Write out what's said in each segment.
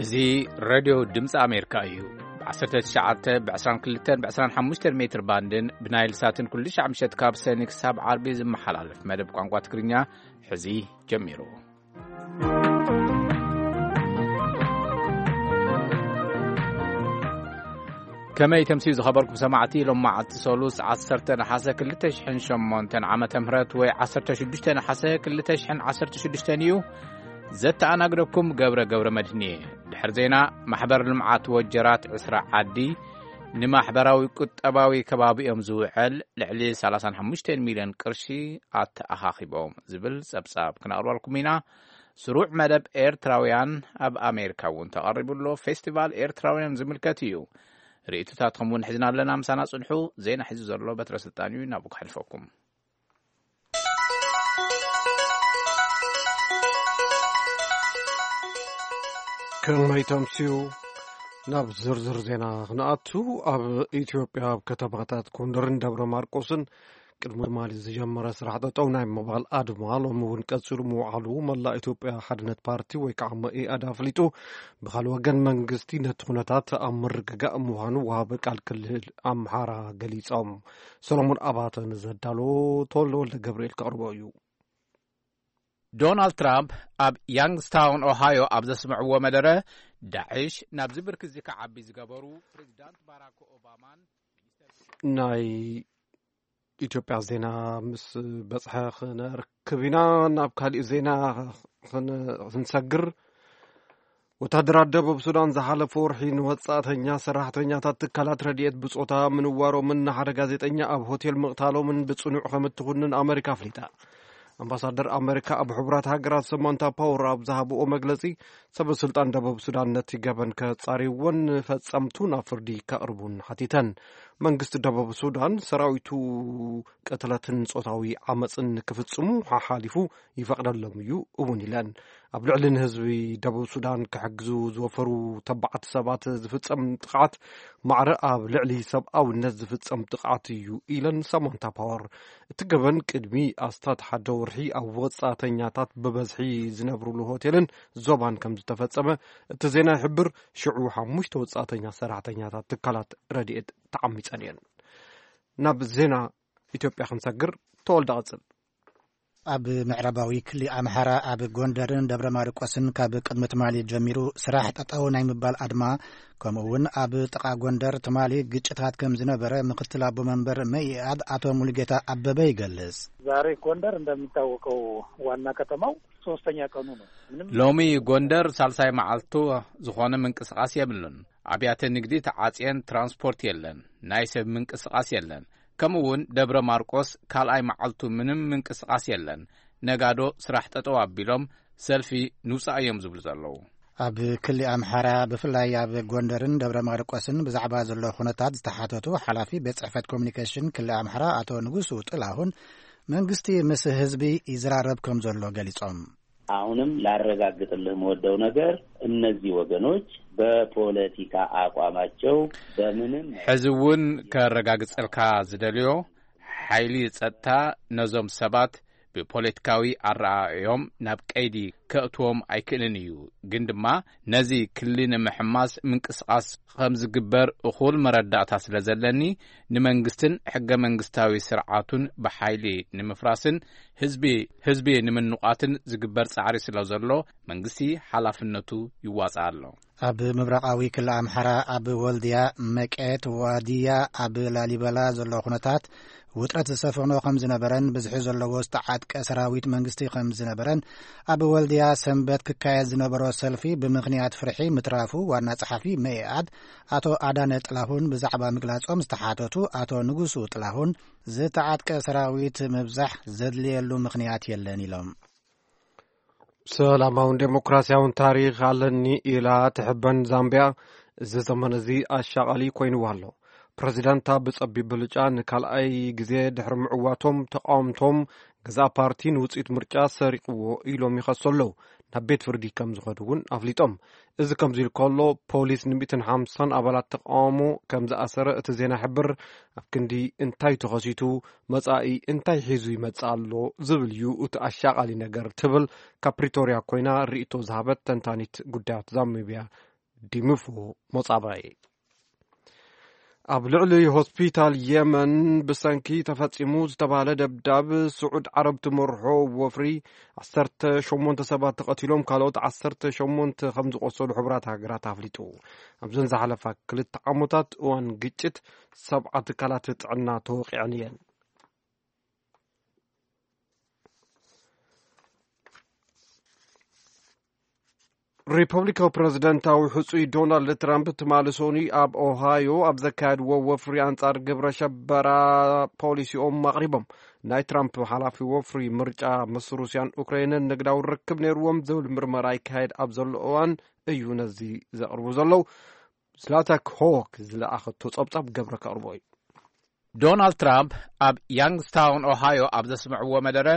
እዚ ሬድዮ ድምፂ ኣሜሪካ እዩ። ብ19፣ ብ22፣ ብ25 ሜትር ባንድን ብናይል ሳትን ኩሉ ሻዕ ምሸት ካብ ሰኒ ክሳብ ዓርቢ ዝመሓላለፍ መደብ ቋንቋ ትግርኛ ሕዚ ጀሚሩ። ከመይ ተምስዩ ዝኸበርኩም ሰማዕቲ፣ ሎም መዓልቲ ሰሉስ ዓሰርተ ነሓሰ ክልተ ሽሕን ሸሞንተን ዓመተ ምህረት ወይ ዓሰርተ ሽዱሽተ ነሓሰ ክልተ ሽሕን ዓሰርተ ሽዱሽተን እዩ። ዘተኣናግደኩም ገብረ ገብረ መድህን እየ። ድሕሪ ዜና፣ ማሕበር ልምዓት ወጀራት ዕስራ ዓዲ ንማሕበራዊ ቁጠባዊ ከባቢኦም ዝውዕል ልዕሊ ሰላሳን ሓሙሽተን ሚልዮን ቅርሺ ኣተኣኻኺቦም ዝብል ጸብጻብ ክነቕርበልኩም ኢና። ስሩዕ መደብ ኤርትራውያን ኣብ ኣሜሪካ እውን ተቐሪቡ ኣሎ። ፌስቲቫል ኤርትራውያን ዝምልከት እዩ። ርእይቶታትኩም እውን ሒዝና ኣለና። ምሳና ጽንሑ። ዜና ሒዙ ዘሎ በትረ ስልጣን እዩ። ናብኡ ክሕልፈኩም። ከመይ ተምስዩ? ናብ ዝርዝር ዜና ክንኣቱ፣ ኣብ ኢትዮጵያ ኣብ ከተማታት ጎንደርን ደብረ ማርቆስን ቅድሚ ትማሊ ዝጀመረ ስራሕ ጠጠው ናይ ምባል ኣድማ ሎሚ እውን ቀጺሉ ምውዓሉ መላእ ኢትዮጵያ ሓድነት ፓርቲ ወይ ከዓ መኢኣድ ኣፍሊጡ። ብኻልእ ወገን መንግስቲ ነቲ ኩነታት ኣብ ምርግጋእ ምዃኑ ወሃቢ ቃል ክልል ኣምሓራ ገሊጾም። ሰሎሞን ኣባተ ንዘዳሎ ተወልደ ወልደ ገብርኤል ከቕርቦ እዩ። ዶናልድ ትራምፕ ኣብ ያንግስታውን ኦሃዮ ኣብ ዘስምዕዎ መደረ፣ ዳዕሽ ናብዚ ብርኪ እዚ ክዓቢ ዝገበሩ ፕሬዚዳንት ባራክ ኦባማን ናይ ኢትዮጵያ ዜና ምስ በጽሐ ክነርክብ ኢና። ናብ ካሊእ ዜና ክን-፣ ክንሰግር፣ ወታደራት ደቡብ ሱዳን ዝሓለፈ ወርሒ ንወጻእተኛ ሰራሕተኛታት ትካላት ረድኤት ብጾታ ምንዋሮምን ንሓደ ጋዜጠኛ ኣብ ሆቴል ምቕታሎምን ብጽኑዕ ከም እትኹንን ኣመሪካ ኣፍሊጣ። ኣምባሳደር ኣመሪካ ኣብ ሕቡራት ሃገራት ሰማንታ ፓወር ኣብ ዝሃብኦ መግለጺ፣ ሰበ ስልጣን ደቡብ ሱዳን ነቲ ገበን ከጻርይዎን ንፈጸምቱ ናብ ፍርዲ ከቕርቡን ሓቲተን። መንግስቲ ደቡብ ሱዳን ሰራዊቱ ቅትለትን ጾታዊ ዓመጽን ክፍጽሙ ሓሓሊፉ ይፈቕደሎም እዩ እውን ኢለን። ኣብ ልዕሊ ንህዝቢ ደቡብ ሱዳን ክሕግዙ ዝወፈሩ ተባዓት ሰባት ዝፍጸም ጥቕዓት ማዕረ ኣብ ልዕሊ ሰብኣውነት ዝፍጸም ጥቕዓት እዩ ኢለን ሳማንታ ፓወር። እቲ ገበን ቅድሚ ኣስታት ሓደ ወርሒ ኣብ ወጻእተኛታት ብበዝሒ ዝነብሩሉ ሆቴልን ዞባን ከም ዝተፈጸመ እቲ ዜና ይሕብር። ሽዑ ሓሙሽተ ወጻእተኛ ሰራሕተኛታት ትካላት ረድኤት ተዓሚጸን እየን። ናብ ዜና ኢትዮጵያ ክንሰግር። ተወልደ ቀጽል። ኣብ ምዕራባዊ ክሊ ኣምሓራ ኣብ ጎንደርን ደብረ ማርቆስን ካብ ቅድሚ ትማሊ ጀሚሩ ስራሕ ጠጠው ናይ ምባል ኣድማ፣ ከምኡ እውን ኣብ ጥቓ ጎንደር ትማሊ ግጭታት ከም ዝነበረ ምክትል ኣቦ መንበር መኢኣድ ኣቶ ሙሉጌታ ኣበበ ይገልጽ። ዛሬ ጎንደር እንደሚታወቀው ዋና ከተማው ሶስተኛ ቀኑ ነው። ምንም ሎሚ ጎንደር ሳልሳይ መዓልቱ ዝኾነ ምንቅስቓስ የብሉን። ኣብያተ ንግዲ ተዓጽየን፣ ትራንስፖርት የለን፣ ናይ ሰብ ምንቅስቓስ የለን። ከምኡ እውን ደብረ ማርቆስ ካልኣይ መዓልቱ ምንም ምንቅስቓስ የለን። ነጋዶ ስራሕ ጠጠው ኣቢሎም ሰልፊ ንውጻእ እዮም ዝብሉ ዘለዉ። ኣብ ክሊ ኣምሓራ ብፍላይ ኣብ ጎንደርን ደብረ ማርቆስን ብዛዕባ ዘሎ ኩነታት ዝተሓተቱ ሓላፊ ቤት ጽሕፈት ኮሚኒኬሽን ክሊ ኣምሓራ ኣቶ ንጉሱ ጥላሁን መንግስቲ ምስ ህዝቢ ይዘራረብ ከም ዘሎ ገሊጾም። አሁንም ላረጋግጥልህ የምወደው ነገር እነዚህ ወገኖች በፖለቲካ አቋማቸው በምንም ሕዚ እውን ከረጋግጸልካ ዝደልዮ ሓይሊ ጸጥታ ነዞም ሰባት ብፖለቲካዊ ኣረኣእዮም ናብ ቀይዲ ከእትዎም ኣይክእልን እዩ። ግን ድማ ነዚ ክሊ ንምሕማስ ምንቅስቓስ ከም ዝግበር እኹል መረዳእታ ስለ ዘለኒ ንመንግስትን ሕገ መንግስታዊ ስርዓቱን ብሓይሊ ንምፍራስን ህዝቢ ህዝቢ ንምንቋትን ዝግበር ጻዕሪ ስለ ዘሎ መንግስቲ ሓላፍነቱ ይዋጻእ ኣሎ። ኣብ ምብራቓዊ ክሊ ኣምሓራ ኣብ ወልድያ፣ መቄት፣ ዋድያ፣ ኣብ ላሊበላ ዘሎ ኩነታት ውጥረት ዝሰፈኖ ከም ዝነበረን ብዝሒ ዘለዎ ዝተዓጥቀ ሰራዊት መንግስቲ ከም ዝነበረን ኣብ ወልድያ ሰንበት ክካየድ ዝነበሮ ሰልፊ ብምኽንያት ፍርሒ ምትራፉ ዋና ጸሓፊ መኢኣድ ኣቶ ኣዳነ ጥላሁን ብዛዕባ ምግላጾም ዝተሓተቱ ኣቶ ንጉሱ ጥላሁን ዝተዓጥቀ ሰራዊት ምብዛሕ ዘድልየሉ ምኽንያት የለን ኢሎም። ሰላማውን ዴሞክራሲያውን ታሪኽ ኣለኒ ኢላ ትሕበን ዛምቢያ፣ እዚ ዘመን እዚ ኣሻቓሊ ኮይንዋ ኣሎ። ፕረዚደንታ ብጸቢብ ብልጫ ንካልኣይ ግዜ ድሕሪ ምዕዋቶም፣ ተቓወምቶም ገዛእ ፓርቲ ንውጽኢት ምርጫ ሰሪቕዎ ኢሎም ይኸሱ ኣለዉ። ናብ ቤት ፍርዲ ከም ዝኸዱ እውን ኣፍሊጦም። እዚ ከምዚ ኢሉ ከሎ፣ ፖሊስ ን150 ኣባላት ተቓውሞ ከም ዝኣሰረ እቲ ዜና ይሕብር። ኣብ ክንዲ እንታይ ተኸሲቱ፣ መጻኢ እንታይ ሒዙ ይመጽእ ኣሎ ዝብል እዩ እቲ ኣሻቓሊ ነገር፣ ትብል ካብ ፕሪቶርያ ኮይና ርእይቶ ዝሃበት ተንታኒት ጉዳያት ዛምቢያ ዲምፎ ሞጻባይ። ኣብ ልዕሊ ሆስፒታል የመን ብሰንኪ ተፈጺሙ ዝተባህለ ደብዳብ፣ ስዑድ ዓረብ ትመርሖ ወፍሪ ዓሰርተ ሸሞንተ ሰባት ተቐቲሎም፣ ካልኦት ዓሰርተ ሸሞንተ ከም ዝቖሰሉ ሕቡራት ሃገራት ኣፍሊጡ። ኣብዘን ዝሓለፋ ክልተ ዓመታት እዋን ግጭት፣ ሰብዓ ትካላት ጥዕና ተወቒዐን እየን። ሪፐብሊካዊ ፕረዚደንታዊ ሕጹይ ዶናልድ ትራምፕ ትማሊ ሶኒ ኣብ ኦሃዮ ኣብ ዘካየድዎ ወፍሪ ኣንጻር ግብረ ሸበራ ፖሊሲኦም ኣቕሪቦም። ናይ ትራምፕ ሓላፊ ወፍሪ ምርጫ ምስ ሩስያን ኡክራይንን ንግዳዊ ርክብ ነይርዎም ዝብል ምርመራ ይካየድ ኣብ ዘሎ እዋን እዩ ነዚ ዘቕርቡ ዘለዉ። ዝላታ ክሆክ ዝለኣኸቶ ጸብጻብ ገብረ ከቕርቦ እዩ። ዶናልድ ትራምፕ ኣብ ያንግስታውን ኦሃዮ ኣብ ዘስምዕዎ መደረ፣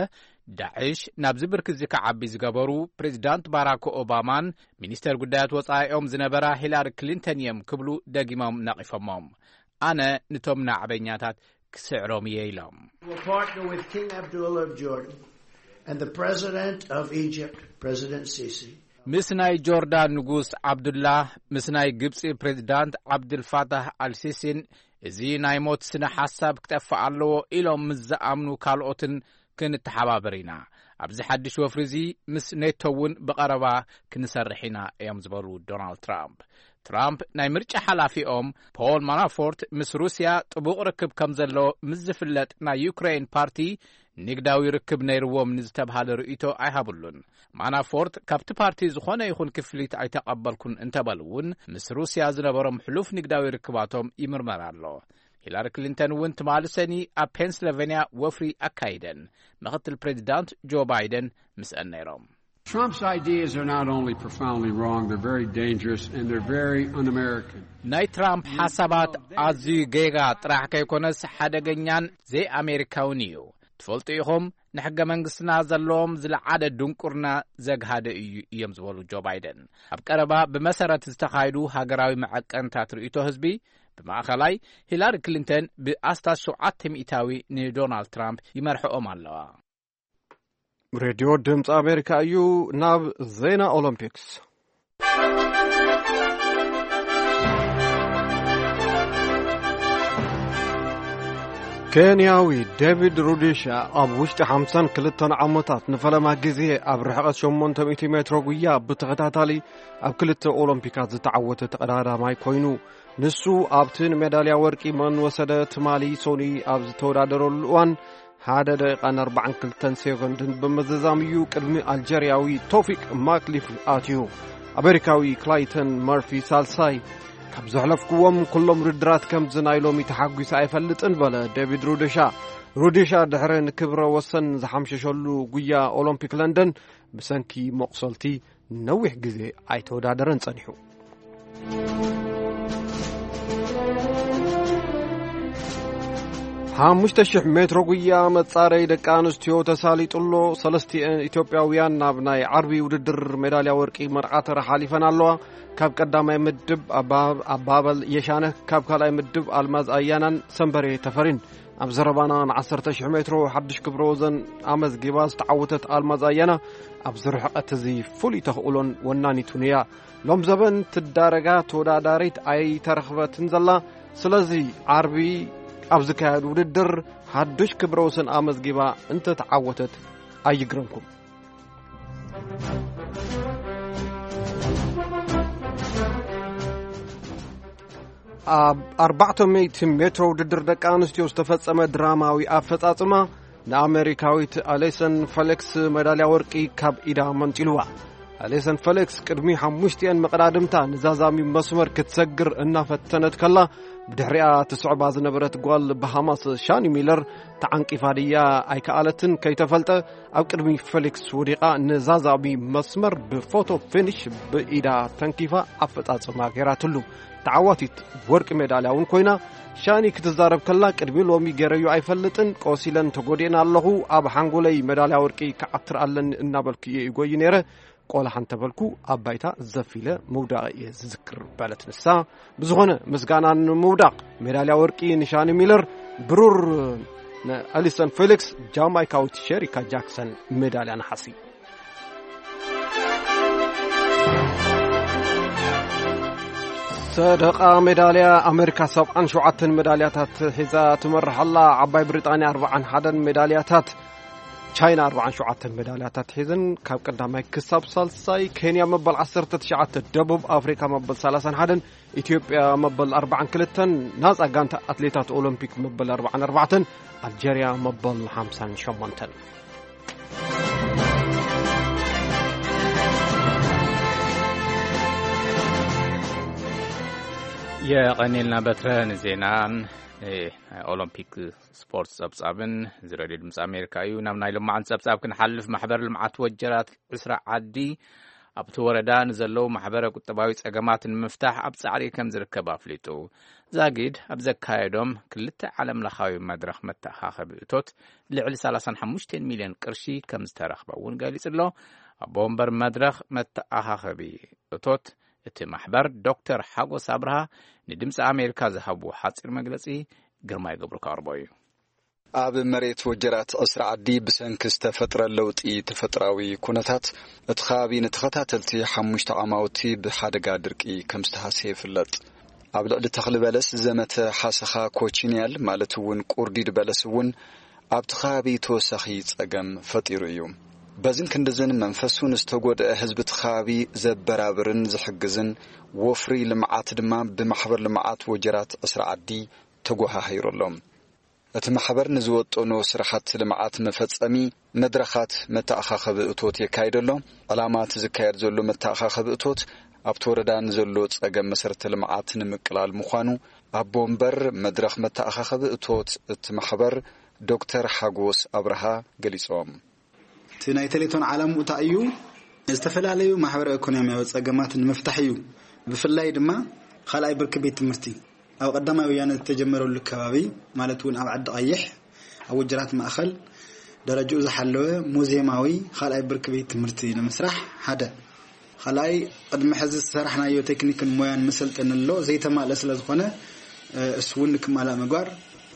ዳዕሽ ናብዚ ብርኪ እዚ ክዓቢ ዝገበሩ ፕሬዚዳንት ባራክ ኦባማን ሚኒስተር ጉዳያት ወጻኢኦም ዝነበራ ሂላሪ ክሊንተን እዮም ክብሉ ደጊሞም ነቒፎሞም። ኣነ ንቶም ናዕበኛታት ክስዕሮም እየ ኢሎም። Will partner with King Abdullah of Jordan and the President of Egypt, President Sisi. ምስ ናይ ጆርዳን ንጉስ ዓብዱላ፣ ምስ ናይ ግብጺ ፕሬዚዳንት ዓብድልፋታህ ኣልሲሲን እዚ ናይ ሞት ስነ ሓሳብ ክጠፍእ ኣለዎ ኢሎም ምስ ዝኣምኑ ካልኦትን ክንተሓባበር ኢና። ኣብዚ ሓድሽ ወፍሪ እዚ ምስ ኔቶ እውን ብቐረባ ክንሰርሕ ኢና እዮም ዝበሉ ዶናልድ ትራምፕ። ትራምፕ ናይ ምርጫ ሓላፊኦም ፖል ማናፎርት ምስ ሩስያ ጥቡቕ ርክብ ከም ዘሎ ምስ ዝፍለጥ ናይ ዩክሬን ፓርቲ ንግዳዊ ርክብ ነይርዎም ንዝተብሃለ ርእይቶ ኣይሃብሉን። ማናፎርት ካብቲ ፓርቲ ዝኾነ ይኹን ክፍሊት ኣይተቐበልኩን እንተበሉ እውን ምስ ሩስያ ዝነበሮም ሕሉፍ ንግዳዊ ርክባቶም ይምርመር ኣሎ። ሂላሪ ክሊንተን እውን ትማሊ ሰኒ ኣብ ፔንስልቨንያ ወፍሪ ኣካይደን። ምክትል ፕሬዚዳንት ጆ ባይደን ምስአን ነይሮም። Trump's ideas are not only profoundly wrong, they're very dangerous and they're very un-American. ናይ ትራምፕ ሓሳባት ኣዝዩ ጌጋ ጥራሕ ከይኮነስ ሓደገኛን ዘይኣሜሪካውን እዩ። ትፈልጡ ኢኹም፣ ንሕገ መንግስትና ዘለዎም ዝለዓለ ድንቁርና ዘግሃደ እዩ እዮም ዝበሉ ጆ ባይደን። ኣብ ቀረባ ብመሰረት ዝተኻየዱ ሃገራዊ መዐቀንታት ርእይቶ ህዝቢ ብማእኸላይ ሂላሪ ክሊንተን ብኣስታት ሸውዓተ ሚእታዊ ንዶናልድ ትራምፕ ይመርሕኦም ኣለዋ። ሬድዮ ድምፂ ኣሜሪካ እዩ። ናብ ዜና ኦሎምፒክስ። ኬንያዊ ዴቪድ ሩዲሻ ኣብ ውሽጢ ሓምሳን ክልተን ዓመታት ንፈለማ ግዜ ኣብ ርሕቐት ሸሞንተ ሚእቲ ሜትሮ ጉያ ብተኸታታሊ ኣብ ክልተ ኦሎምፒካት ዝተዓወተ ተቐዳዳማይ ኮይኑ፣ ንሱ ኣብቲ ንሜዳልያ ወርቂ መን ወሰደ ትማሊ ሶኒ ኣብ ዝተወዳደረሉ እዋን ሓደ ደቂቓን ኣርባዓን ክልተን ሴኮንድን ብምዝዛም እዩ ቅድሚ ኣልጀርያዊ ቶፊቅ ማክሊፍ ኣትዩ። ኣሜሪካዊ ክላይተን መርፊ ሳልሳይ፣ ካብ ዘሕለፍኩዎም ኩሎም ውድድራት ከምዚ ናይ ሎሚ ተሓጒሰ ኣይፈልጥን በለ ዴቪድ ሩዲሻ። ሩዲሻ ድሕሪ ንክብረ ወሰን ዝሓምሸሸሉ ጉያ ኦሎምፒክ ለንደን ብሰንኪ መቑሰልቲ ነዊሕ ግዜ ኣይተወዳደረን ጸኒሑ። ሓሙሽተ ሽሕ ሜትሮ ጉያ መጻረይ ደቂ ኣንስትዮ ተሳሊጡ ኣሎ። ሰለስቲኤን ኢትዮጵያውያን ናብ ናይ ዓርቢ ውድድር ሜዳልያ ወርቂ መርዓ ተራ ሓሊፈን ኣለዋ። ካብ ቀዳማይ ምድብ ኣባ-፣ ኣባበል የሻነህ፣ ካብ ካልኣይ ምድብ ኣልማዝ ኣያናን ሰንበሬ ተፈሪን። ኣብ ዘረባና ንዓሰርተ ሽሕ ሜትሮ ሓድሽ ክብረ ወዘን ኣመዝጊባ ዝተዓወተት ኣልማዝ ኣያና ኣብዚ ርሕቀት እዚ ፍሉይ ተኽእሎን ወናኒቱን እያ። ሎም ዘበን ትዳረጋ ተወዳዳሪት ኣይተረኽበትን ዘላ። ስለዚ ዓርቢ ኣብ ዝካየድ ውድድር ሓድሽ ክብረ ወሰን ኣመዝጊባ እንተተዓወተት ኣይግረምኩም። ኣብ ኣርባዕተ ሚእቲ ሜትሮ ውድድር ደቂ ኣንስትዮ ዝተፈጸመ ድራማዊ ኣፈጻጽማ ንኣሜሪካዊት ኣሌሰን ፌሊክስ መዳልያ ወርቂ ካብ ኢዳ መንጢልዋ። ኣሌሰን ፌሊክስ ቅድሚ ሓሙሽቲኤን መቐዳድምታ ንዛዛሚ መስመር ክትሰግር እናፈተነት ከላ፣ ብድሕሪኣ ትስዕባ ዝነበረት ጓል ባሃማስ ሻኒ ሚለር ተዓንቂፋ ድያ ኣይከኣለትን ከይተፈልጠ፣ ኣብ ቅድሚ ፌሊክስ ወዲቓ ንዛዛሚ መስመር ብፎቶ ፊኒሽ ብኢዳ ተንኪፋ ኣፈጻጽማ ገይራትሉ። ተዓዋቲት ወርቂ ሜዳልያ እውን ኮይና። ሻኒ ክትዛረብ ከላ፣ ቅድሚ ሎሚ ገይረዮ ኣይፈልጥን፣ ቆሲለን ተጎዲእን ኣለኹ፣ ኣብ ሓንጎለይ ሜዳልያ ወርቂ ክዓትር ኣለኒ እናበልኩ እየ ይጎይ ነይረ። ቆላሕ እንተበልኩ ኣብ ባይታ ዘፊለ ምውዳቕ እየ ዝዝክር በለት ንሳ። ብዝኾነ ምስጋና ንምውዳቕ ሜዳልያ ወርቂ ንሻኒ ሚለር፣ ብሩር ንኣሊሰን ፌሊክስ፣ ጃማይካዊት ሸሪካ ጃክሰን ሜዳልያ ነሓሲ። ሰደቓ ሜዳልያ ኣሜሪካ ሰብዓን ሸውዓተን ሜዳልያታት ሒዛ ትመርሕ ኣላ። ዓባይ ብሪጣንያ ኣርብዓን ሓደን ሜዳልያታት፣ ቻይና ኣርብዓን ሸውዓተን ሜዳልያታት ሒዝን ካብ ቀዳማይ ክሳብ ሳልሳይ፣ ኬንያ መበል ዓሰርተ ትሽዓተ፣ ደቡብ ኣፍሪካ መበል ሰላሳን ሓደን፣ ኢትዮጵያ መበል ኣርብዓን ክልተን፣ ናጻ ጋንታ ኣትሌታት ኦሎምፒክ መበል ኣርብዓን ኣርባዕተን፣ ኣልጀርያ መበል ሓምሳን ሸሞንተን። የቐኒልና በትረ ንዜና ኦሎምፒክ ስፖርት ጸብጻብን እዚ ሬድዮ ድምፂ ኣሜሪካ እዩ። ናብ ናይ ልማዓን ጸብጻብ ክንሓልፍ፣ ማሕበር ልምዓት ወጀራት ዕስራ ዓዲ ኣብቲ ወረዳ ንዘለዉ ማሕበረ ቁጠባዊ ጸገማት ንምፍታሕ ኣብ ጻዕሪ ከም ዝርከብ ኣፍሊጡ። ዛጊድ ኣብ ዘካየዶም ክልተ ዓለም ለኻዊ መድረኽ መተኣኻኸቢ እቶት ልዕሊ ሰላሳን ሓሙሽተን ሚልዮን ቅርሺ ከም ዝተረኽበ እውን ገሊጹ ኣሎ። ኣቦ ወንበር መድረኽ መተኣኻኸቢ እቶት እቲ ማሕበር ዶክተር ሓጎስ ኣብርሃ ንድምፂ ኣሜሪካ ዝሃብዎ ሓፂር መግለፂ ግርማይ ገብሩ ካርቦ እዩ። ኣብ መሬት ወጀራት ዕስራ ዓዲ ብሰንኪ ዝተፈጥረ ለውጢ ተፈጥራዊ ኩነታት፣ እቲ ከባቢ ንተኸታተልቲ ሓሙሽተ ዓማውቲ ብሓደጋ ድርቂ ከም ዝተሃሰየ ይፍለጥ። ኣብ ልዕሊ ተኽሊ በለስ ዝዘመተ ሓሰኻ ኮቺንያል፣ ማለት እውን ቁርዲድ በለስ እውን ኣብቲ ከባቢ ተወሳኺ ጸገም ፈጢሩ እዩ። በዝን ክንድዝን መንፈሱ ንዝተጎድአ ህዝቢ እቲ ከባቢ ዘበራብርን ዝሕግዝን ወፍሪ ልምዓት ድማ ብማሕበር ልምዓት ወጀራት ዕስራ ዓዲ ተጎሃሂሩ ኣሎ። እቲ ማሕበር ንዝወጠኖ ስራሕቲ ልምዓት መፈጸሚ መድረኻት መተኣኻኸቢ እቶት የካይድ ኣሎ። ዕላማ እቲ ዝካየድ ዘሎ መተኣኻኸቢ እቶት ኣብቲ ወረዳ ንዘሎ ጸገም መሰረተ ልምዓት ንምቅላል ምዃኑ ኣቦ ወንበር መድረኽ መተኣኻኸቢ እቶት እቲ ማሕበር ዶክተር ሓጎስ ኣብርሃ ገሊጾም። እቲ ናይ ቴሌቶን ዓላምኡ እንታይ እዩ? ዝተፈላለዩ ማሕበረ ኢኮኖሚያዊ ጸገማት ንምፍታሕ እዩ። ብፍላይ ድማ ካልኣይ ብርኪ ቤት ትምህርቲ ኣብ ቀዳማይ ወያነ ዝተጀመረሉ ከባቢ፣ ማለት እውን ኣብ ዓዲ ቀይሕ፣ ኣብ ወጀራት ማእኸል ደረጃኡ ዝሓለወ ሙዚየማዊ ካልኣይ ብርኪ ቤት ትምህርቲ ንምስራሕ ሓደ። ካልኣይ፣ ቅድሚ ሕዚ ዝሰራሕናዮ ቴክኒክን ሞያን መሰልጠኒ ኣሎ፣ ዘይተማልአ ስለ ዝኾነ፣ እ፣ እሱ እውን ንክማላእ ምግባር።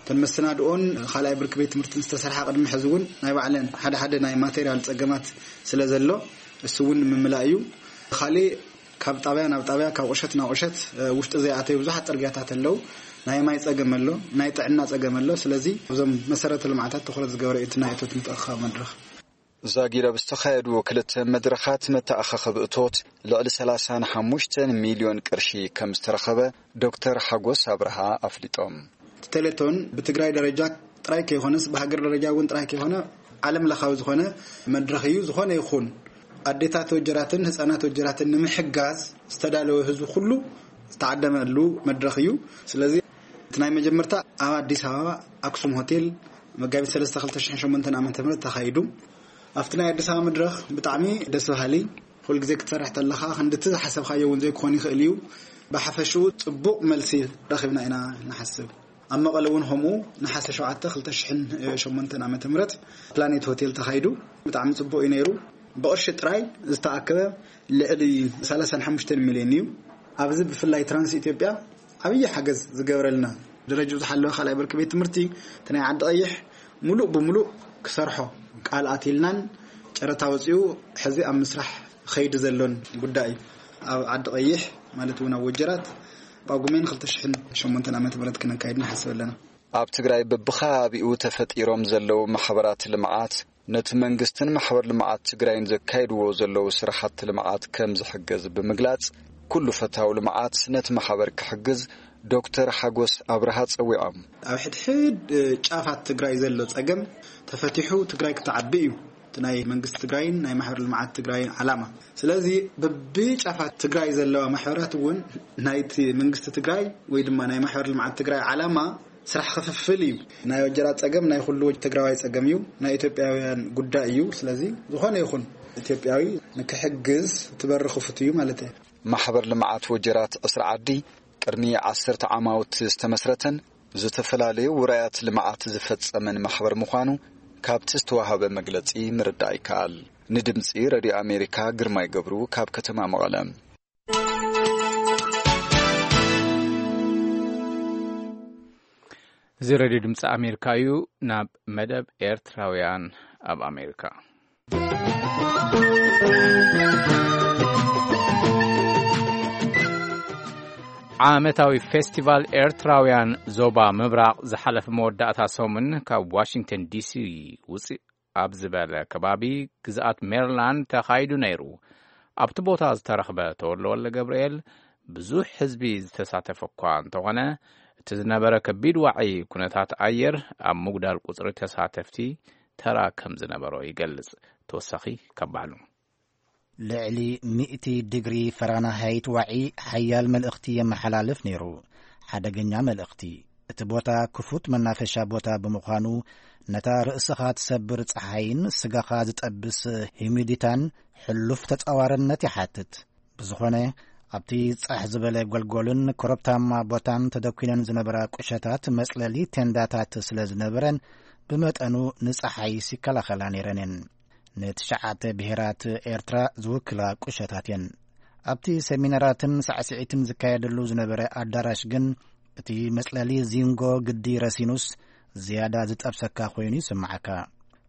እተን መሰናድኦን ካልኣይ ብርኪ ቤት ትምህርትን ዝተሰርሓ ቅድሚ ሕዚ እውን ናይ ባዕለን ሓደ ሓደ ናይ ማቴሪያል ጸገማት ስለ ዘሎ፣ እሱ እውን ንምምላእ እዩ። ካሊእ፣ ካብ ጣብያ ናብ ጣብያ፣ ካብ ቁሸት ናብ ቁሸት፣ እ፣ ውሽጢ ዘይኣተዩ ብዙሓት ጽርግያታት ኣለዉ። ናይ ማይ ጸገም ኣሎ፣ ናይ ጥዕና ጸገም ኣሎ። ስለዚ እዞም መሰረተ ልምዓታት ትኹረት ዝገበረ እዩ እቲ ናይ እቶት ምትእኽኻብ መድረኽ። ዛጊድ ኣብ ዝተኻየዱ ክልተ መድረኻት መተኣኻኸቢ እቶት ልዕሊ ሰላሳን ሓሙሽተን ሚልዮን ቅርሺ ከም ዝተረኸበ ዶክተር ሓጎስ ኣብርሃ ኣፍሊጦም። እቲ ቴሌቶን ብትግራይ ደረጃ ጥራይ ከይኮነስ ብሃገር ደረጃ እውን ጥራይ ከይኮነ ዓለም ለኻዊ ዝኾነ መድረኽ እዩ። ዝኾነ ይኹን ኣዴታት ወጀራትን ህፃናት ወጀራትን ንምሕጋዝ ዝተዳለወ ህዝቢ ኩሉ ዝተዓደመሉ መድረኽ እዩ። ስለዚ እቲ ናይ መጀመርታ ኣብ ኣዲስ ኣበባ ኣክሱም ሆቴል መጋቢት ሰለስተ ክልተ ሽሕን ሸሞንተን ዓመተ ምህረት ተኻይዱ። ኣብቲ ናይ ኣዲስ ኣበባ መድረኽ ብጣዕሚ ደስ በሃሊ፣ ኩሉ ግዜ ክትሰርሕ ተለኻ ክንድቲ ዝሓሰብካዮ እውን ዘይክኾን ይኽእል እዩ። ብሓፈሽኡ ጽቡቕ መልሲ ረኺብና ኢና ንሓስብ። ኣብ መቐለ እውን ከምኡ ነሓሰ ሸውዓተ ክልተ ሽሕን ሸሞንተን ዓመተ ምህረት ፕላኔት ሆቴል ተኻይዱ። ብጣዕሚ ጽቡቕ እዩ ነይሩ። ብቕርሺ ጥራይ ዝተኣከበ ልዕሊ ሰላሳን ሓሙሽተን ሚልዮን እዩ። ኣብዚ ብፍላይ ትራንስ ኢትዮጵያ ዓብዪ ሓገዝ ዝገበረልና፣ ደረጃኡ ዝሓለወ ካልኣይ ብርኪ ቤት ትምህርቲ እቲ ናይ ዓዲ ቀይሕ ሙሉእ ብሙሉእ ክሰርሖ ቃል ኣትልናን ጨረታ ወፂኡ ሕዚ ኣብ ምስራሕ ኸይዲ ዘሎን ጉዳይ እዩ። ኣብ ዓዲ ቀይሕ ማለት እውን ኣብ ወጀራት ጳጉሜን ክልተ ሽሕን ሸሞንተን ዓመተ ምህረት ክነካይድ ንሓስብ ኣለና። ኣብ ትግራይ በብኸባቢኡ ተፈጢሮም ዘለዉ ማሕበራት ልምዓት ነቲ መንግስትን ማሕበር ልምዓት ትግራይን ዘካይድዎ ዘለዉ ስራሕቲ ልምዓት ከም ዝሕግዝ ብምግላጽ፣ ኩሉ ፈታዊ ልምዓት ነቲ ማሕበር ክሕግዝ ዶክተር ሓጎስ ኣብርሃ ጸዊዖም። ኣብ ሕድሕድ ጫፋት ትግራይ ዘሎ ጸገም ተፈቲሑ ትግራይ ክትዓቢ እዩ እቲ ናይ መንግስቲ ትግራይን ናይ ማሕበር ልምዓት ትግራይን ዓላማ። ስለዚ በብጫፋት ትግራይ ዘለዋ ማሕበራት እውን ናይቲ መንግስቲ ትግራይ ወይ ድማ ናይ ማሕበር ልምዓት ትግራይ ዓላማ ስራሕ ክፍፍል እዩ። ናይ ወጀራት ጸገም ናይ ኩሉ ትግራዋይ ጸገም እዩ፣ ናይ ኢትዮጵያውያን ጉዳይ እዩ። ስለዚ ዝኾነ ይኹን ኢትዮጵያዊ ንክሕግዝ እቲ በሪ ክፉት እዩ ማለት እዩ። ማሕበር ልምዓት ወጀራት ዕስራ ዓዲ ቅድሚ ዓሰርተ ዓማውቲ ዝተመስረተን ዝተፈላለዩ ውራያት ልምዓት ዝፈጸመን ማሕበር ምዃኑ ካብቲ ዝተዋህበ መግለጺ ምርዳእ ይከኣል። ንድምጺ ሬድዮ ኣሜሪካ ግርማይ ገብሩ ካብ ከተማ መቐለ። እዚ ሬድዮ ድምፂ ኣሜሪካ እዩ። ናብ መደብ ኤርትራውያን ኣብ ኣሜሪካ። ዓመታዊ ፌስቲቫል ኤርትራውያን ዞባ ምብራቕ ዝሓለፈ መወዳእታ ሰሙን ካብ ዋሽንግተን ዲሲ ውፅእ ኣብ ዝበለ ከባቢ ግዝኣት ሜሪላንድ ተኻይዱ ነይሩ። ኣብቲ ቦታ ዝተረኽበ ተወልደ ወልደ ገብርኤል ብዙሕ ህዝቢ ዝተሳተፈ እኳ እንተኾነ፣ እቲ ዝነበረ ከቢድ ዋዒ ኩነታት ኣየር ኣብ ምጉዳል ቁጽሪ ተሳተፍቲ ተራ ከም ዝነበሮ ይገልጽ። ተወሳኺ ካብ ባዕሉ። ልዕሊ ሚእቲ ዲግሪ ፈራናሃይት ዋዒ ሓያል መልእኽቲ የመሓላልፍ ነይሩ። ሓደገኛ መልእኽቲ። እቲ ቦታ ክፉት መናፈሻ ቦታ ብምዃኑ፣ ነታ ርእስኻ ትሰብር ጸሓይን ስጋኻ ዝጠብስ ሂዩሚዲታን ሕሉፍ ተጻዋርነት ይሓትት። ብዝኾነ፣ ኣብቲ ጻሕ ዝበለ ጎልጎልን ኮረብታማ ቦታን ተደኲነን ዝነበራ ቁሸታት መጽለሊ ቴንዳታት ስለ ዝነበረን፣ ብመጠኑ ንጸሓይስ ይከላኸላ ነይረን እየን። ንትሽዓተ ብሄራት ኤርትራ ዝውክላ ቁሸታት እየን። ኣብቲ ሰሚናራትን ሳዕስዒትን ዝካየደሉ ዝነበረ ኣዳራሽ ግን፣ እቲ መጽለሊ ዚንጎ ግዲ ረሲኑስ ዝያዳ ዝጠብሰካ ኮይኑ ይስምዓካ።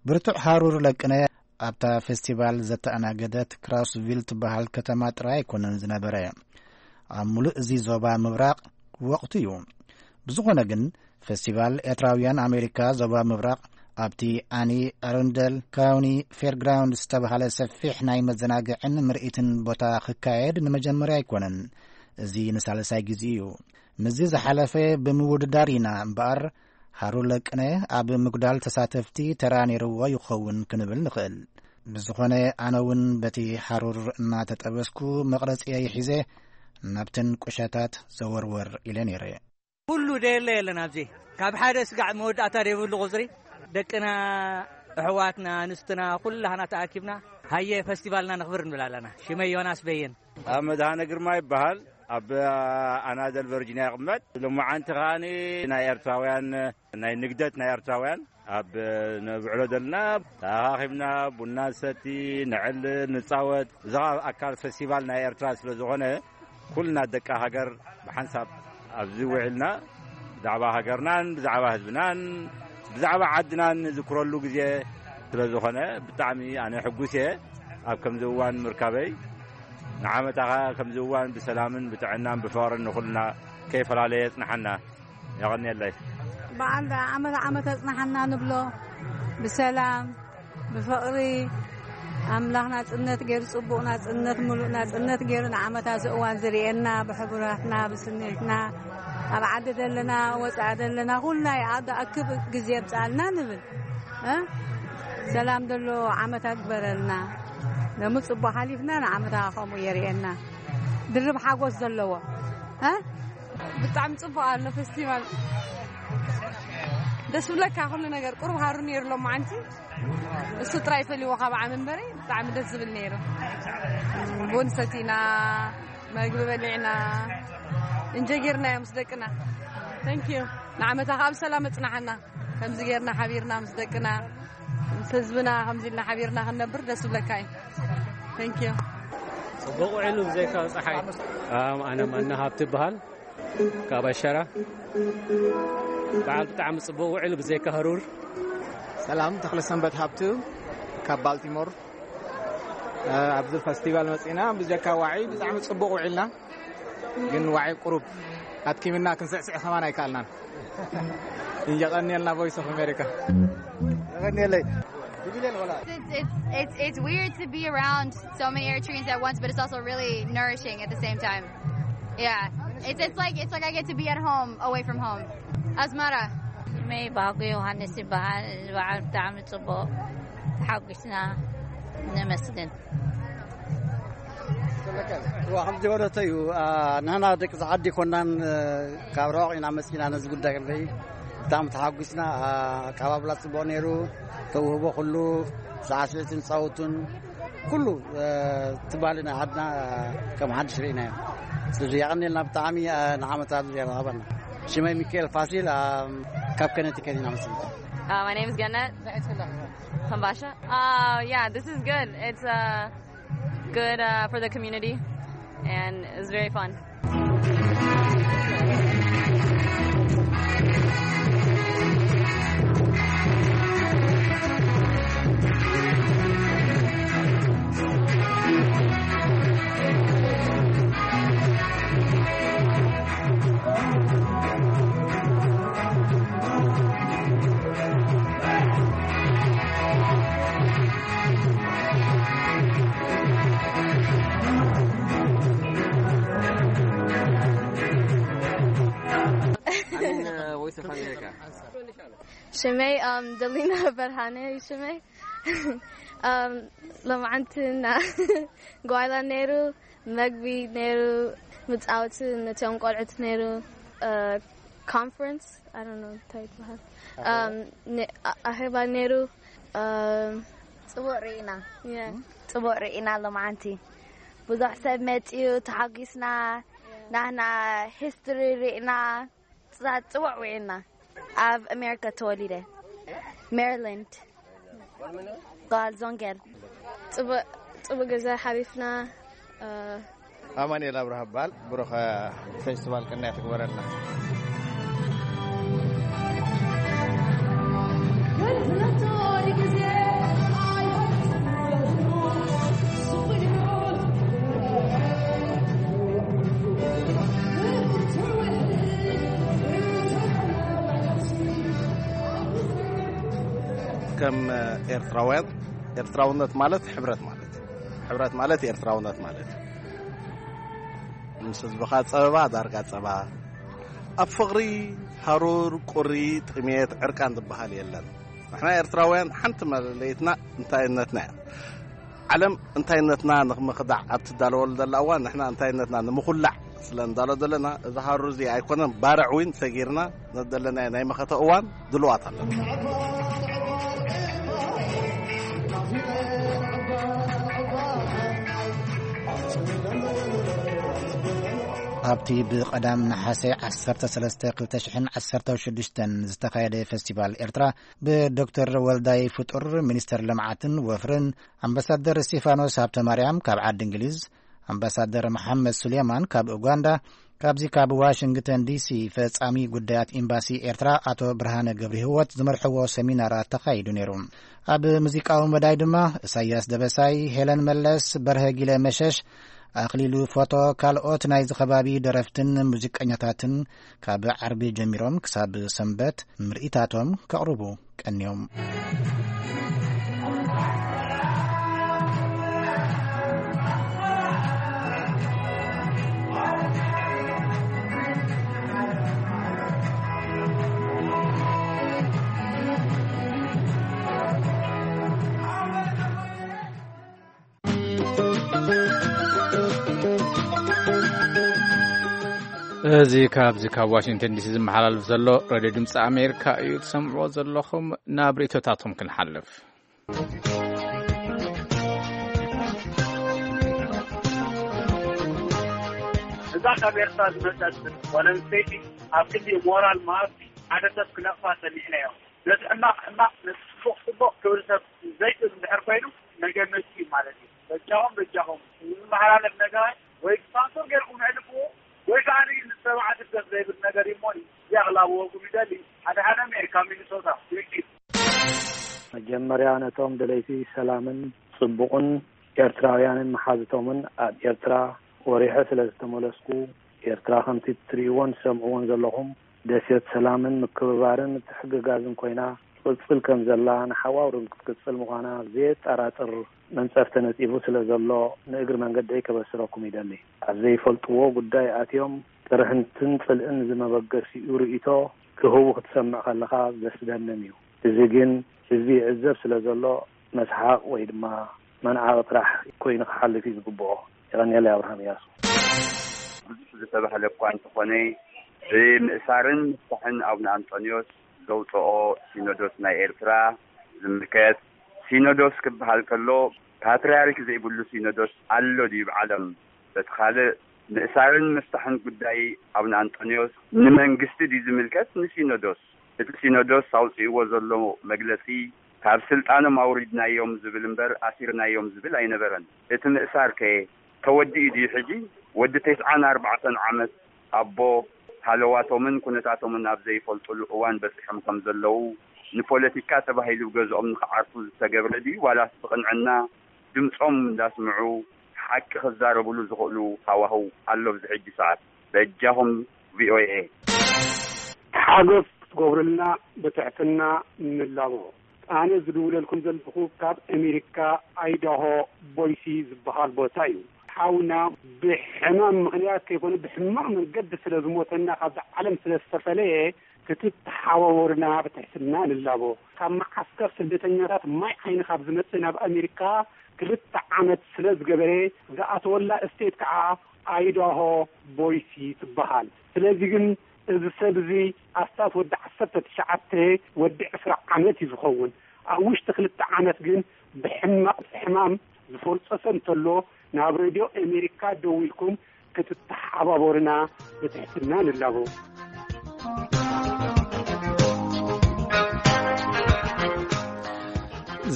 ብርቱዕ ሃሩር ለቅነ ኣብታ ፌስቲቫል ዘተኣናገደት ክራውስቪል ትበሃል ከተማ ጥራይ ኣይኮነን ዝነበረ። ኣብ ሙሉእ እዚ ዞባ ምብራቕ ወቕቱ እዩ። ብዝኾነ ግን፣ ፌስቲቫል ኤርትራውያን ኣሜሪካ ዞባ ምብራቕ ኣብቲ ኣኒ ኣሮንደል ካውኒ ፌርግራውንድ ዝተባሃለ ሰፊሕ ናይ መዘናግዕን ምርኢትን ቦታ ክካየድ ንመጀመርያ ኣይኮነን። እዚ ንሳልሳይ ግዜ እዩ። ምስዚ ዝሓለፈ ብምውድዳር ኢና እምበኣር፣ ሃሩር ለቅነ ኣብ ምጉዳል ተሳተፍቲ ተራ ነይርዎ ይኸውን ክንብል ንኽእል። ብዝኾነ፣ ኣነ እውን በቲ ሃሩር እናተጠበስኩ መቕረጺየይ ሒዘ ናብተን ቁሸታት ዘወርወር ኢለ ነይረ። ኩሉ ደየለ የለን ኣብዚ። ካብ ሓደ ስጋዕ መወዳእታ ደይብሉ ቁጽሪ፣ ደቅና፣ ኣሕዋትና፣ ኣንስትና፣ ኩላህና ተኣኪብና፣ ሃየ ፈስቲቫልና ነኽብር ንብል ኣለና። ሽመይ ዮናስ በየን። ኣብ መድሃነ ግርማ ይበሃል። ኣብ ኣናደል ቨርጂኒያ ይቕመጥ። ሎማዓንቲ ከኣ ናይ ኤርትራውያን፣ ናይ ንግደት ናይ ኤርትራውያን ኣብ ነብዕሎ ዘለና፣ ተኣኻኺብና ቡና ንሰቲ፣ ንዕልል፣ ንጻወት። እዚ ኸኣ ኣካል ፈስቲቫል ናይ ኤርትራ ስለ ዝኾነ፣ ኩልና ደቂ ሃገር ብሓንሳብ ኣብዚ ውዒልና፣ ብዛዕባ ሃገርናን ብዛዕባ ህዝብናን ብዛዕባ ዓድናን ንዝክረሉ ግዜ ስለ ዝኾነ፣ ብጣዕሚ ኣነ ሕጉስ እየ ኣብ ከምዚ እዋን ምርካበይ። ንዓመታ ኸኣ ከምዚ እዋን ብሰላምን ብጥዕናን ብፍቕርን ንኹልና ከይፈላለየ የጽንሓና። የቐንየለይ። በዓል ዓመት ዓመት ኣጽንሓና ንብሎ። ብሰላም፣ ብፍቕሪ፣ ኣምላኽ ናጽነት ገይሩ፣ ጽቡቕ ናጽነት፣ ምሉእ ናጽነት ገይሩ ንዓመታ እዚ እዋን ዝርእየና፣ ብሕቡራትና፣ ብስኒትና፣ ኣብ ዓዲ ዘለና፣ ወጻኢ ዘለና፣ ኩልና ይኣክብ ግዜ የምጽኣልና ንብል። እ? ሰላም ዘሎ ዓመታ ግበረልና። ደሞ ጽቡቕ ሓሊፍና፣ ንዓመታ ከምኡ የርእየና። ድርብ ሓጎስ ዘለዎ። እ? ብጣዕሚ ጽቡቕ ኣሎ ፈስቲቫል። ደስ ብለካ ኩሉ ነገር። ቁሩብ ሃሩ ነይሩ ሎማዓንቲ። እሱ ጥራይ ፈሊዎ ካብ ዓሚ እምበሪ ብጣዕሚ ደስ ዝብል ነይሩ። ቡን ሰቲና፣ መግቢ በሊዕና፣ እንጀ ጌርና እዮም ምስ ደቅና። Thank you። ንዓመታ ከኣ ብሰላም ኣጽናሓና። ከምዚ ጌርና ሓቢርና ምስ ደቅና፣ ምስ ህዝብና ከምዚ ኢልና ሓቢርና ክንነብር ደስ ዝብለካ እዩ። Thank you። ጽቡቕ ውዒሉ ብዘይካ ጸሓይ። ኣም፣ ኣነ መና ሃብቲ ይበሃል። ካብ ኣሸራ። በዓል ብጣዕሚ ጽቡቕ ውዒሉ ብዘይካ ሃሩር። ሰላም፣ ተኽለ ሰንበት ሃብቱ ካብ ባልቲሞር። እ፣ ኣብዚ ፈስቲቫል መጺና ብዘይካ ዋዒ ብጣዕሚ ጽቡቕ ውዒልና። ግን ዋዒ ቁሩብ ኣትኪምና ክንስዕስዕ ከማን ኣይከኣልናን። የቐንየልና ቮይስ ኦፍ ኣሜሪካ። የቐንየለይ። It's, it's, it's, it's weird to be around so many Eritreans at once, but it's also really nourishing at the same time. Yeah. It's, it's like, it's like I get to be at home, away from home. Asmara. ሽመይ ባህጉ ዮሃንስ ይበሃል። እዚ በዓል ብጣዕሚ ጽቡቕ። ተሓጒስና። ነመስግን። እዋ፣ ከም ዝበለቶ እዩ። ኣ፣ ንሕና ደቂ ዓዲ ኮናን፣ እ፣ ካብ ርሑቕ ኢና መጺና ነዚ ጉዳይ ክንርኢ። ብጣዕሚ ተሓጒስና። ኣ፣ ኣቀባብላ ጽቡቕ ነይሩ። ተውህቦ ኩሉ፣ ሳዕስዒትን ጻውቱን ኩሉ፣ እ፣ ትባሊ ናይ ዓድና፣ እ፣ ከም ሓድሽ ርኢናዮ። ስለዚ የቐንየልና ብጣዕሚ፣ እ፣ ንዓመታ ዝያዳ ሃበና። ሽመይ ሚካኤል ፋሲል፣ ኣ፣ ካብ ከነቲከት ኢና መጺና። Uh, my name is Gannett. Hambasha. Uh, yeah, this is good. It's uh, good uh, for the community, and it's very fun. ሽመይ ኣም ደሊና በርሃነ እዩ ሽመይ። ኣም ሎማዓንቲ ና ጓይላ ነይሩ፣ መግቢ ነይሩ፣ መፃወቲ ነቶም ቆልዑት ነይሩ። ኮንፈረንስ ኣይ ዶንት ኖ እንታይ ይበሃል። ኣም፣ ነ- ኣ- ኣኼባ ነይሩ። ኣም፣ ፅቡቅ ርኢና። ጽቡቅ ርኢና። ሎማዓንቲ ብዙሕ ሰብ መፅዩ፣ ተሓጒስና። ናህና ሂስትሪ ርኢና። ጽቡቅ ውዒልና። ኣብ ኣሜሪካ ተወሊደ፣ ሜሪላንድ፣ ጓል ዞንገል። ጽቡቅ ግዜ ሓሊፍና። ኣማኑኤል ኣብርሃ እበሃል። ብሩኸ ፌስቲቫል ቅንያ ትግበረልና። ከም ኤርትራውያን፣ ኤርትራውነት ማለት ሕብረት ማለት እዩ። ሕብረት ማለት ኤርትራውነት ማለት እዩ። ምስ ህዝብኻ ጸበባ ዳርጋ ጸባ። ኣብ ፍቕሪ፣ ሃሩር፣ ቁሪ፣ ጥሜት፣ ዕርቃን ዝበሃል የለን። ንሕና ኤርትራውያን ሓንቲ መለለይትና እንታይነትና እያ። ዓለም እንታይነትና ንኽምኽዳዕ ኣብ ትዳለወሉ ዘላ እዋን፣ ንሕና እንታይነትና ንምኹላዕ ስለ ንዳሎ ዘለና፣ እዚ ሃሩር እዚ ኣይኮነን፣ ባርዕ እውን ሰጊርና ነደለናዮ ናይ መኸተ እዋን ድልዋት ኣለና። ኣብቲ ብቐዳም ነሓሰ ዓሰርተ ሰለስተ ክልተ ሽሕን ዓሰርተ ሽዱሽተን ዝተኻየደ ፈስቲቫል ኤርትራ፣ ብዶክተር ወልዳይ ፍጡር፣ ሚኒስተር ልምዓትን ወፍርን፣ ኣምባሳደር እስቲፋኖስ ሃብተማርያም ካብ ዓዲ እንግሊዝ፣ ኣምባሳደር መሓመድ ሱሌማን ካብ ኡጋንዳ፣ ካብዚ ካብ ዋሽንግተን ዲሲ ፈጻሚ ጉዳያት ኤምባሲ ኤርትራ ኣቶ ብርሃነ ገብረ ህይወት ዝመርሕዎ ሰሚናራት ተኻይዱ ነይሩ። ኣብ ሙዚቃዊ መዳይ ድማ እሳያስ ደበሳይ፣ ሄለን መለስ፣ በርሀ ጊለ መሸሽ፣ ኣኽሊሉ ፎቶ፣ ካልኦት ናይዚ ከባቢ ደረፍትን ሙዚቀኛታትን ካብ ዓርቢ ጀሚሮም ክሳብ ሰንበት ምርኢታቶም ከቕርቡ ቀንዮም። እዚ ካብዚ ካብ ዋሽንግተን ዲሲ ዝመሓላልፍ ዘሎ ሬድዮ ድምፂ ኣሜሪካ እዩ ትሰምዕዎ ዘለኹም። ናብ ርእይቶታቶም ክንሓልፍ። እዛ ካብ ኤርትራ ዝመጸት ጓል ኣንስተይቲ ኣብ ክንዲ ሞራል መሃብቲ ሓደ ሰብ ክነቕፋ ጸኒሕና እዮም። ነቲ ሕማቕ ሕማቕ፣ ነቲ ጽቡቕ ጽቡቕ ክብል ሰብ ዘይክእል እንድሕር ኮይኑ መገመቲ እዩ ማለት እዩ። በጃኹም፣ በጃኹም፣ ዝመሓላለፍ ነገራት ወይ ብሳንሱር ጌርኩም ኣሕልፍዎ ወይ ከዓ ንሰብዓ ስደት ዘይብል ነገር እዩ እሞ እዚኣ ክላብወኩም ይደሊ። ሓደ ሓደ ሜር ካብ ሚኒሶታ። ቴንኪዩ። መጀመርያ ነቶም ደለይቲ ሰላምን ጽቡቕን ኤርትራውያንን መሓዝቶምን ኣብ ኤርትራ ወሪሐ ስለ ዝተመለስኩ፣ ኤርትራ ከምቲ ትርእይዎን ትሰምዕዎን ዘለኹም ደሴት ሰላምን ምክብባርን ምትሕግጋዝን ኮይና ትቕጽል ከም ዘላ፣ ንሓዋሩ እውን ክትቅጽል ምዃና ዘየጠራጥር መንጸፍ ተነጺፉ ስለ ዘሎ፣ ንእግሪ መንገደይ ከበስረኩም ይደሊ። ኣብ ዘይፈልጥዎ ጉዳይ ኣትዮም ቅርሕንትን ጽልእን ዝመበገሲኡ ርእይቶ ክህቡ ክትሰምዕ ከለኻ ዘስደምም እዩ። እዚ ግን ህዝቢ ይዕዘብ ስለ ዘሎ፣ መስሓቕ ወይ ድማ መንዓቒ ጥራሕ ኮይኑ ክሓልፍ እዩ ዝግብኦ። የቐንየለይ። ኣብርሃም እያሱ። ብዙሕ ዝተባህለ እኳ እንተኾነ፣ ብምእሳርን ምፍታሕን ኣቡነ ኣንጦንዮስ ዘውፅኦ ሲኖዶስ ናይ ኤርትራ ዝምልከት፣ ሲኖዶስ ክበሃል ከሎ፣ ፓትርያርክ ዘይብሉ ሲኖዶስ ኣሎ ድዩ ብዓለም? በቲ ካልእ፣ ምእሳርን ምፍታሕን ጉዳይ ኣቡነ ኣንጦንዮስ ንመንግስቲ ድዩ ዝምልከት ንሲኖዶስ? እቲ ሲኖዶስ ኣውፂእዎ ዘሎ መግለፂ፣ ካብ ስልጣኖም ኣውሪድናዮም ዝብል እምበር ኣሲርናዮም ዝብል ኣይነበረን። እቲ ምእሳር ከ ተወዲኡ ድዩ ሕጂ? ወዲ ተስዓን ኣርባዕተን ዓመት ኣቦ፣ ሃለዋቶምን ኩነታቶምን ኣብ ዘይፈልጡሉ እዋን በጺሖም ከም ዘለዉ፣ ንፖለቲካ ተባሂሉ ገዝኦም ንኽዓርፉ ዝተገብረ ድዩ ዋላስ ብቕንዕና ድምጾም እንዳስምዑ ሓቂ ክዛረብሉ ዝኽእሉ ሃዋህው ኣሎ ኣብዚ ሕጂ ሰዓት? በጃኹም ቪኦኤ። ሓገዝ ክትገብሩልና ብትሕትና ንላቦ። ኣነ ዝድውለልኩም ዘለኹ ካብ ኣሜሪካ ኣይዳሆ ቦይሲ ዝበሃል ቦታ እዩ። ሓውና ብሕማም ምኽንያት ከይኮነ ብሕማቕ መንገዲ ስለ ዝሞተና ካብዛ ዓለም ስለ ዝተፈለየ ክትተሓባበሩና ብትሕትና ንላቦ። ካብ መዓስከር ስደተኛታት ማይ ዓይኒ ካብ ዝመጽእ ናብ ኣሜሪካ ክልተ ዓመት ስለ ዝገበረ ዝኣተወላ እስቴት ከዓ ኣይዳሆ ቦይሲ ትበሃል። ስለዚ ግን እዚ ሰብ እዚ ኣስታት ወዲ ዓሰርተ ትሽዓተ ወዲ ዕስራ ዓመት እዩ ዝኸውን። ኣብ ውሽጢ ክልተ ዓመት ግን ብሕማቕ ሕማም ዝፈርጸሰ እንተሎ ናብ ሬድዮ ኣሜሪካ ደዊልኩም ክትተሓባበሩና ብትሕትና ንላቦ።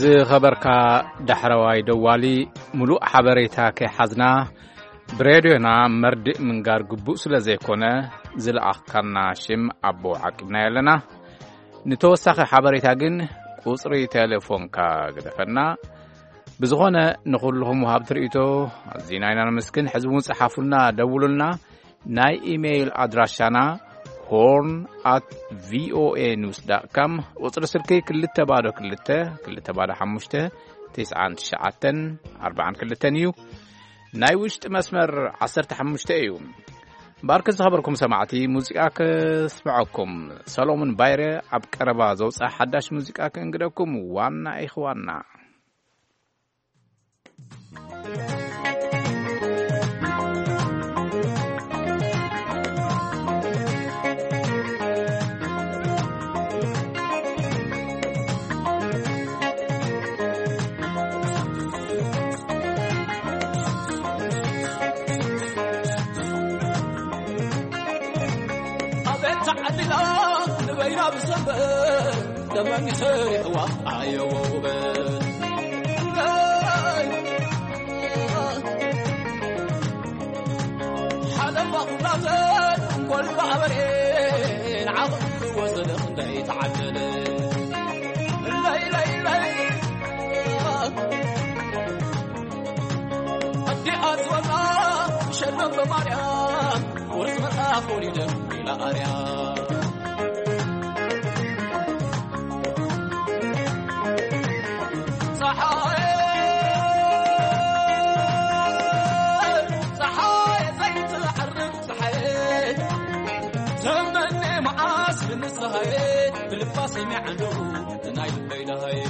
ዝኸበርካ ዳሕረዋይ ደዋሊ፣ ምሉእ ሓበሬታ ከይሓዝና ብሬድዮና መርድእ ምንጋር ግቡእ ስለ ዘይኮነ፣ ዝለኣኽካና ሽም ኣቦ ዓቂብናዮ ኣለና። ንተወሳኺ ሓበሬታ ግን ቁጽሪ ቴሌፎንካ ግደፈና። ብዝኾነ፣ ንኹልኹም ወሃብቲ ርእይቶ ኣዚና ኢና ነመስግን። ሕዚ እውን ጸሓፉልና፣ ደውሉልና። ናይ ኢሜይል ኣድራሻና ሆርን ኣት ቪኦኤ ኒውስ ዳት ካም፣ ቁጽሪ ስልኪ ክልተ ባዶ ክልተ፣ ክልተ ባዶ ሓሙሽተ፣ ትስዓን ትሽዓተን ኣርባዓን ክልተን እዩ። ናይ ውሽጢ መስመር ዓሰርተ ሓሙሽተ እዩ። እምበኣርከስ ዝኸበርኩም ሰማዕቲ፣ ሙዚቃ ከስምዐኩም። ሰሎሞን ባይረ ኣብ ቀረባ ዘውፅኣ ሓዳሽ ሙዚቃ ከእንግደኩም። ዋና ኢኽ ዋና። ኣቤት ተዓሊላ ንበይና ብሰንበት ደመኒ ሰሪሕዋ ኣየወ ውበት። ሓለፋ ኩላተን ኮልባ ኣበሬን ዓቕሊ ወሰደ ክንደይ ተዓደለ። ለይ ለይ ለይ ኣዲኣ ዝበላ ሸለም በማርያም ወርቂ መልኣኽ ወሊደን ኢላ ኣርያም። ጸሓየ፣ ጸሓየ ዘይትዓርብ ጸሓየ፣ ተመነ መዓስ ንስሃየ፣ ብልባ ሰሚዐ ኣለኹ ናይ ልበይ ደሃየ።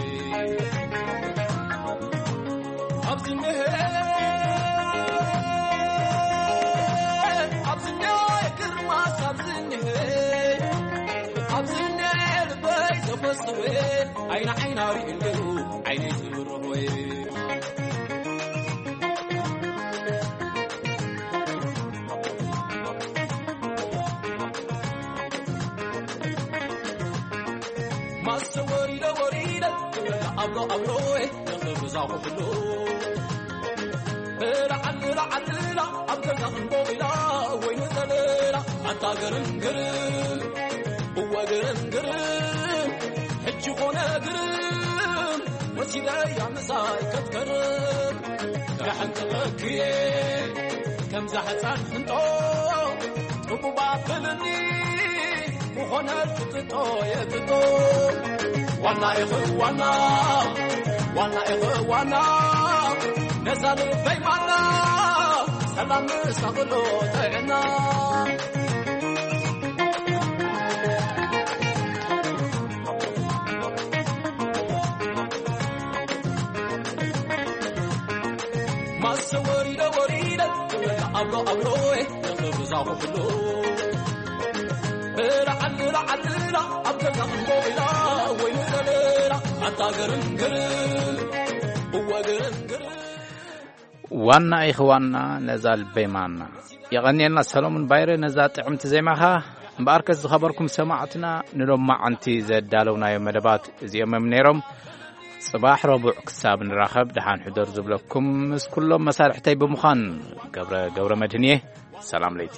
ኣብዚ እኒሀ፣ ኣብዚ እኒሀ ግርማስ፣ ኣብዚ እኒሀ፣ ኣብዚ እኒሀ ልበይ ዘፈስወ፣ ዓይኒ ዓይና ሪኡ እንዲሁ ዓይነይ ዝብርሆ። ማሰ ወሪደ ወሪደ ትብል ኣብሎ ኣብሎ፣ ተኽብዛ ኩፍሎ። ላዓል ላዓል ላ ኣብ ገዛ ክንቦ ኢላ፣ ወይኒ ዘለላ ኣታ ግርም ግርም፣ እወ ግርም ግርም፣ ሕጂ ኮነ ግርም፣ ወሲደያ ምሳይ ከትከርም። ዳሕንጥለክየ ከምዛ ሕፃን ሕንጦ፣ ጥቡብ ኣብልኒ፣ ክኾነ ትጥጦ የጥጦ። ዋና ኢኺ ዋና፣ ዋና ኢኺ ዋና፣ ነዛ ልበይ ማና፣ ሰላም ምሳቕሎ ጥዕና። ማሰ ወሪደ ወሪደ ትብለና ኣብሎ ኣብሎ፣ ተኽብዛ ኩፍሎ። ላዓል ላዓል ላ ኣብ ገዛ እምቦ ኢላ፣ ወይኒ ዘለላ ኣታ ግርም ግርም፣ እወ ግርም ግርም። ዋና ኢኺ ዋና ነዛ ልበይ ማና። የቐንየልና ሰሎሙን ባይረ ነዛ ጥዕምቲ ዜማኻ። እምበኣርከስ ዝኸበርኩም ሰማዕትና፣ ንሎማዓንቲ ዘዳለውናዮ መደባት እዚኦም እዮም ነይሮም። ጽባሕ ረቡዕ ክሳብ ንራኸብ ደሓን ሕደሩ ዝብለኩም ምስ ኩሎም መሳርሕተይ ብምዃን ገብረ፣ ገብረ መድህን እየ። ሰላም ለይቲ።